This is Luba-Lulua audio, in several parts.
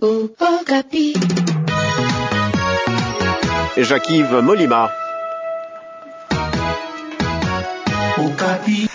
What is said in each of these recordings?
Okapi. Jacques-Yves Molima. Okapi.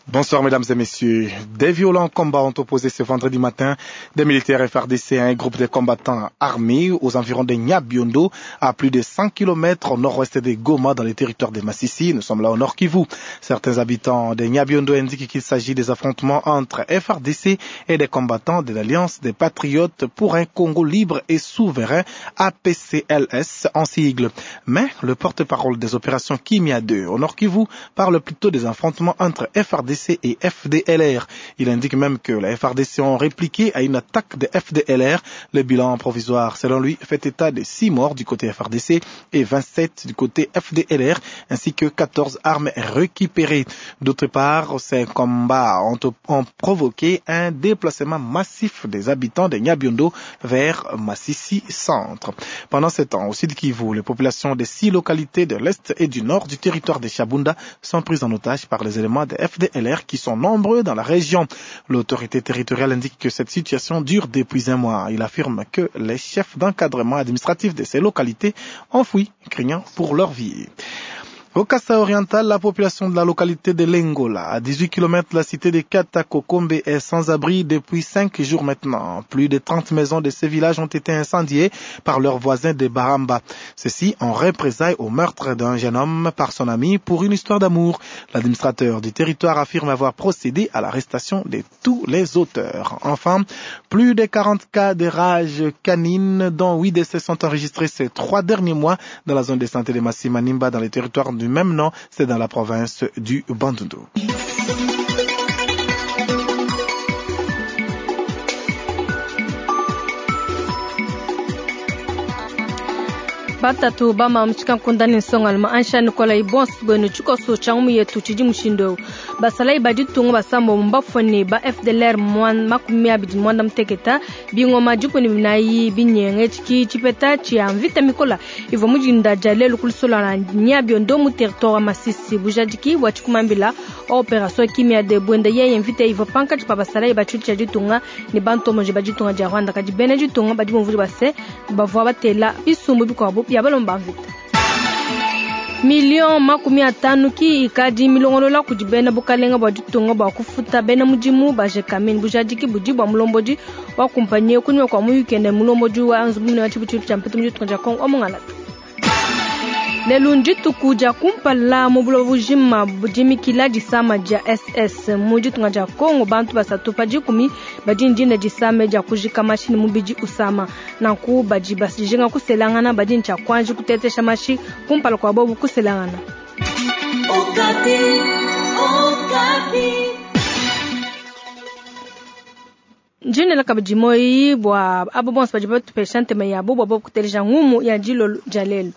Bonsoir mesdames et messieurs. Des violents combats ont opposé ce vendredi matin des militaires FRDC à un groupe de combattants armés aux environs de Nyabiondo, à plus de 100 km au nord-ouest de Goma, dans le territoire de Massissi. Nous sommes là au nord Kivu. Certains habitants de Nyabiondo indiquent qu'il s'agit des affrontements entre FRDC et des combattants de l'Alliance des Patriotes pour un Congo libre et souverain, APCLS en sigle. Mais le porte-parole des opérations Kimia 2 au nord Kivu parle plutôt des affrontements entre FRDC et FDLR. Il indique même que la FRDC ont répliqué à une attaque de FDLR. Le bilan provisoire, selon lui, fait état de 6 morts du côté FRDC et 27 du côté FDLR, ainsi que 14 armes récupérées. D'autre part, ces combats ont, ont provoqué un déplacement massif des habitants de Nyabiondo vers Massissi Centre. Pendant ce temps, au sud Kivu, les populations des six localités de l'est et du nord du territoire de Chabunda sont prises en otage par les éléments de FDLR qui sont nombreux dans la région. L'autorité territoriale indique que cette situation dure depuis un mois. Il affirme que les chefs d'encadrement administratif de ces localités ont fui, craignant pour leur vie. Au Kassai oriental, la population de la localité de Lengola, à 18 km de la cité de Katakokombe, est sans abri depuis 5 jours maintenant. Plus de 30 maisons de ce village ont été incendiées par leurs voisins de Baramba. Ceci en représailles au meurtre d'un jeune homme par son ami pour une histoire d'amour. L'administrateur du territoire affirme avoir procédé à l'arrestation de tous les auteurs. Enfin, plus de 40 cas de rage canine, dont 8 décès sont enregistrés ces trois derniers mois dans la zone de santé de Massimanimba, dans les territoires du même nom, c'est dans la province du Bandundu. Batatu bama mchikankunda ni nsongalima ansha nikola ibonso bwenu tshikoso tshia ngumu yetu tshidi mushindu eu basalayi ba ditunga basambo mbafone ba FDLR 29 muteketa bingoma 14 binyenge tshiki tshipeta tshia mvita mikola ivua mudinda dia lelu kulusola na Nyabiondo mu territoire wa Masisi bujadiki bua tshikumambila wa opération Kimia de bwenda yeye mvita ivua pankatshi pa basalayi ba tshilu tshia ditunga ne bantomoji ba ditunga dia Rwanda kadi bena ditunga badi bumvudi base bavua batela bisumbu bikuabu bia balomba mvita. Million 50 ki ikadi milongolola kudi bena bukalenga bua ditunga bua kufuta bena mudimu ba Gécamines bujadiki budi bua mulombodi wa kumpanye kunyima kua muyuki ne mulombodi wa nzubu munene wa tshibutshilu tshia mpetu mu ditunga dia Kongo wa Mongalata. Lelu ndituku dia kumpala mu buloba bujima budimikila disama dia SS mu ditunga dia Kongo bantu basatu pa dikumi badi ndine disame dia kujika mashi ne mubidi usama nanku badi basijinga kuselangana badi ntshia kuanji kutetesha mashi kumpala kua bobu kuselangana. Okapi, Okapi. Ndinela kabidi moyi bua abo bonso badi batupesha ntema yabo bua bobu kuteleja ngumu ya dilolo dia lelu.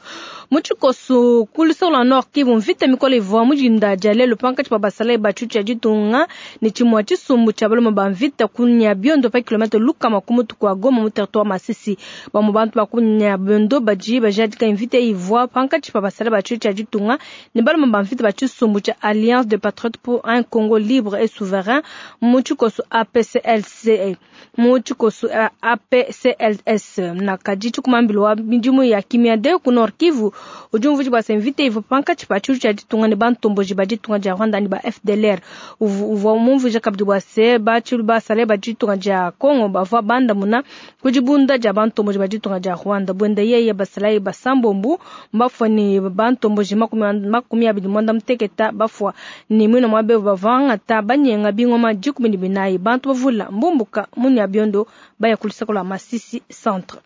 Mu tshikoso ku luseke lua Nord Kivu mvita mikole ivua mudinda dia lelu pankatshi pa basalayi ba tshilu tshia ditunga ne tshimue tshisumbu tshia balume ba mvita ku Nyabiondo pa kilomètre lukama ku mutu kua Goma mu territoire Masisi. Bamue bantu ba ku Nyabiondo badi bajadika mvita ivua pankatshi pa basalayi ba tshilu tshia ditunga ne balume ba mvita ba tshisumbu tshia Alliance des Patriotes pour un Congo libre et souverain mu tshikoso APCLC mu tshikoso APCLS na kadi tshikumambilo wa midimu ya Kimia de ku Nord Kivu udi umvuija bua se mvita ivua pankatshi pa tshilu tshia ditunga ne bantomboji ba ditunga dia Rwanda ne ba FDLR. Uvua mumvuija kabidi bua se batshilu basalayi ba ditunga dia Kongo bavua bandamuna ku dibunda dia bantomboji ba ditunga dia Rwanda. Buenda yeye basalayi basambombu mbafua ne bantomboji 29 bafua ne muina mua bebu bavua ngata banyenga bingoma 14 bantu bavula mbumbuka mu Nyabiondo baya ku luseke lua Masisi centre.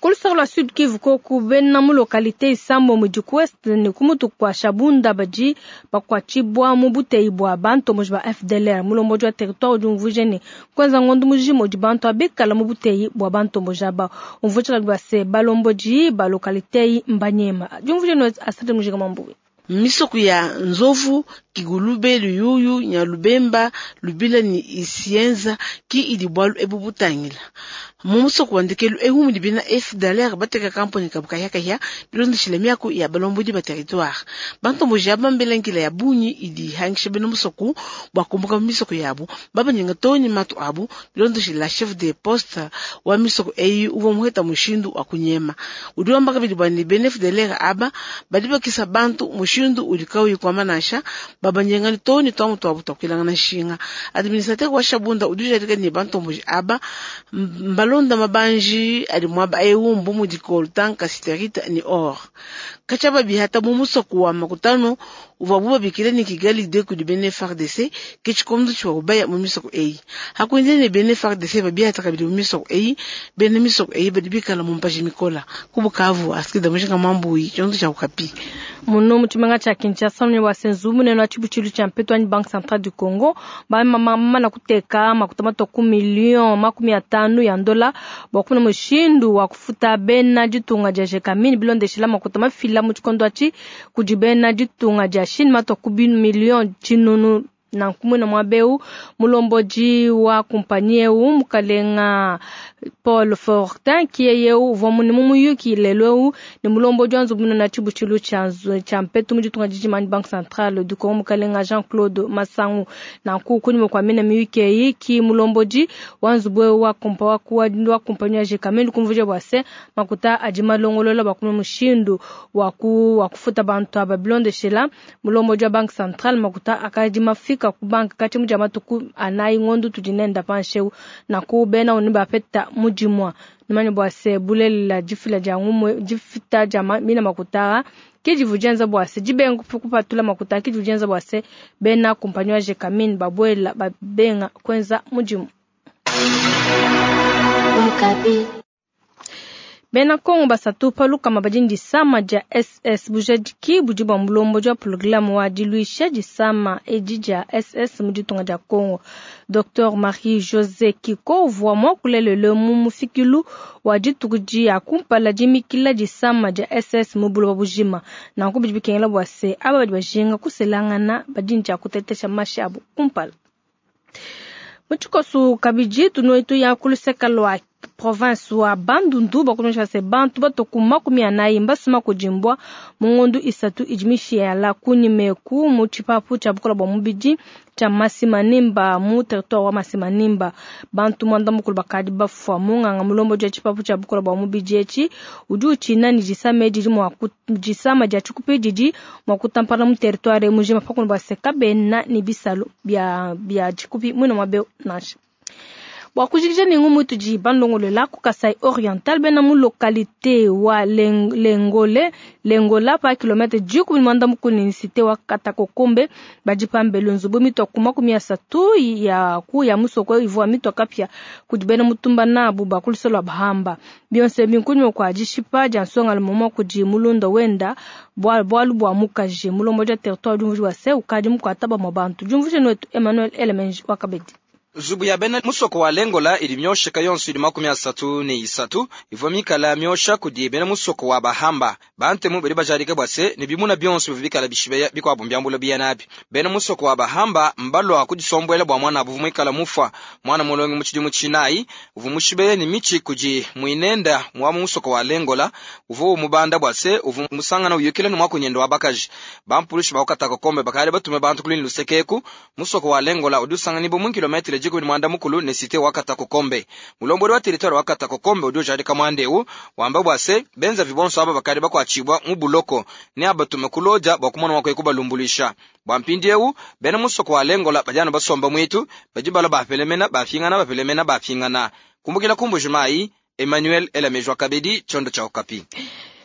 Ku luseke lua Sud Kivu koku bena mu localité isambo mudi ku Ouest ne ku mutu kua Shabunda badi bakuatshibua mu buteyi bua bantomboji ba FDLR. Mulombodi wa territoire udi umvuija ne kuenza ngondo mujima udi bantu abikala mu buteyi bua bantomboji aba. Umvuija kabidi bua se balombodi ba localité eyi mbanyema. Diumvuija ne Asante Mujinga Mambuyi. Misoko ya Nzovu, Kigulube, Luyuyu, Nyalubemba, Lubila ni Isienza ki idi bwalu ebu butangila. Mu musoko wa ndekelu eu mudi bena FDLR bateka kamponyi kabu kahia-kahia bilondeshile miaku ya balombodi ba territoire. Bantomboji aba mbela nkila ya bungi idi ihangisha bena musoko bua kumbuka mu misoko yabu, babanyenga too ne matu abu bilondeshile chef de poste wa misoko eyi uvua muheta mushindu wa kunyema. Udi wamba kabidi bua ne bena FDLR aba badi bakisa bantu mushindu udi kauyi kuamba nansha, babanyenga too ne tuamu tuabu tua kuelangana nshinga. Administrateur wa Shabunda udi ujadika ne bantomboji aba mbalonda mabanji adi muaba eu mbu mudi coltan, cassiterite ni or. Katshia babihata mu musoko wa Makutano uvuabu babikila ne Kigali 2 kudi bena FARDC ke tshikondo tshivuabu baya mu misoko eyi. Hakuindile ne bena FARDC babihata kabidi mu misoko eyi, bena misoko eyi badi bikala mu mpaji mikola. Ku Bukavu, Astrida Mujinga Mwambuyi, tshikondo tshia Okapi. Muno mu tshimenga tshia Kinshasa, munene wa senzu munene wa tshibutshilu tshia mpetu anyi Banque Centrale du Congo bamana kuteka makuta matua ku million 50 ya ndola bua kumona mushindu wa kufuta bena ditunga dia Gécamines bilondeshila makuta mafila mu tshikondo atshi kudi bena ditunga dia Chine matua ku million 900. Nanku mwina muaba eu mulombodi wa kumpanyi eu mukalenga Paul Fortin kiye eu uvua mune mu muyuki lelu eu ne mulombodi wa nzubu munene wa tshibutshilu tshia mpetu mu ditunga dijima anyi Banque Centrale du Congo mukalenga Jean-Claude Masangu. Nanku kunyima kua mina miyuki eyi ki mulombodi wa nzubu eu wa kumpanyi ya Gécamines kumvuija bua se makuta adi malongolola bua kumona mushindu wa kufuta bantu aba bilondeshela mulombodi wa Banque Centrale makuta akadi mafika ku banka kati muja matuku anayi ngondu tudi nenda pansheu naku bena unu bapeta mudimwa nimanye bua se bulelela difila dia ngumwe difita dia mina makuta kidivu dienza bua se dibenga kupatula makuta kidivu dienza bua se bena kumpanyi wa Gécamines babuela babenga kwenza mudimu. Bena Kongo basatu paluka badi disama dia SS bujadiki budi bua mulombodi wa programme wa diluisha disama edi dia SS mu ditunga dia Kongo. Dr Marie-José Kiko uvua muakulelele mu mufikilu wa dituku dia kumpala dimikila disama dia SS mu buloba bujima. Nanku bidi bikengela bua se aba badi bajinga kuselangana badi ntshia kutetesha mashi abu kumpala. Mu tshikoso kabidi tunoitu ya kuluseka lua province wa Bandundu bakumisha se bantu batoku 40 mbasuma kujimbwa mu ngondu 3 ijimishiala kunyimeku mu tshipapu tshia bukola bua mubidi tshia Masimanimba mu territoire wa Masimanimba. Bantu mwanda mukulu bakadi bafua munganga mulombo dia tshipapu tshia bukola bua mubidi etshi udi utshina ni disama didi mua disama dia tshikupi didi mua kutampana mu territoire mujima pakuno bua se kabena ni bisalo bia tshikupi mwina mwabe nansha. Bua kujikija ne ngumu tudi bandongolola ku Kasai Oriental bena mu localité wa Lengola pa kilomètre 10 ni cité wa Katakokombe badi pambelu nzubu mitwa ku 30 ya ku ya musoko ivua mitwa kapia kudi bena mutumba nabu bakuluselwa bahamba bionse binkunywa kwa dishipa dia nsonga lumomo kudi mulunda wenda bwalu bwa mukaji mulombo dia territoire du wa se ukadi mukwataba mu bantu jumvuje nwetu Emmanuel Elemenji wakabedi. Zubu ya bena musoko wa Lengola ili myosheka yonso ili 33 ivua mikala myosha kudi bena musoko wa Bahamba. Bantemu bali bajarika bwase ne bimuna byonso bibikala bishibeya bikwabo mbyambulo biyanabi. Bena musoko wa Bahamba mbalwa kudisombwela bwa mwana abu mwikala mufa mwana mulongi mu tshidimu tshinayi uvu mushibeya ni michi kudi mwinenda mwa musoko wa Lengola uvu mubanda bwase uvu musangana uyukila no mwakunyendo wa bakaji. Bampulushi bakataka kombe bakale batume bantu kulini lusekeku musoko wa Lengola udusanga nibo mu kilometre mwanda mukulu ne site wakata kokombe. Mulombodi wa territoire wakata kokombe udi ujarika mwandeu wamba bwase benza vibonso aba bakali bakwachibwa mu buloko ne abatume kuloja bwa kumona wakwe kubalumbulisha. Bwa mpindi eu bena musoko wa Lengola bajana basomba mwitu bajibala bapelemena bafingana bapelemena bafingana. Kumbukila kumbujumai Emmanuel Elamejwa Kabedi chondo cha Okapi.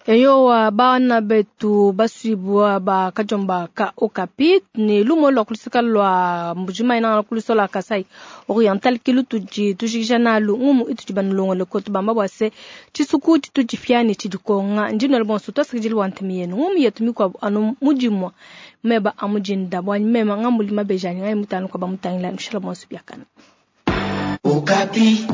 Eyo bana betu basibwa ba kajomba ka Okapi ni lumo lwa kulusika lwa mbujima ina kulusola la Kasai Oriental kilu tuji tujikisha nalu ngumu itu jibanulongo lekotu bamba bwase chisuku chitu chifyani chidikonga njino lebonso twasikijili wantemi yenu ngumu yetu mikwa anu mujimwa meba amujinda bwa mema ngamuli mabejani ngai mutano kwa bamutangila mshala bonso byakana. Okapi.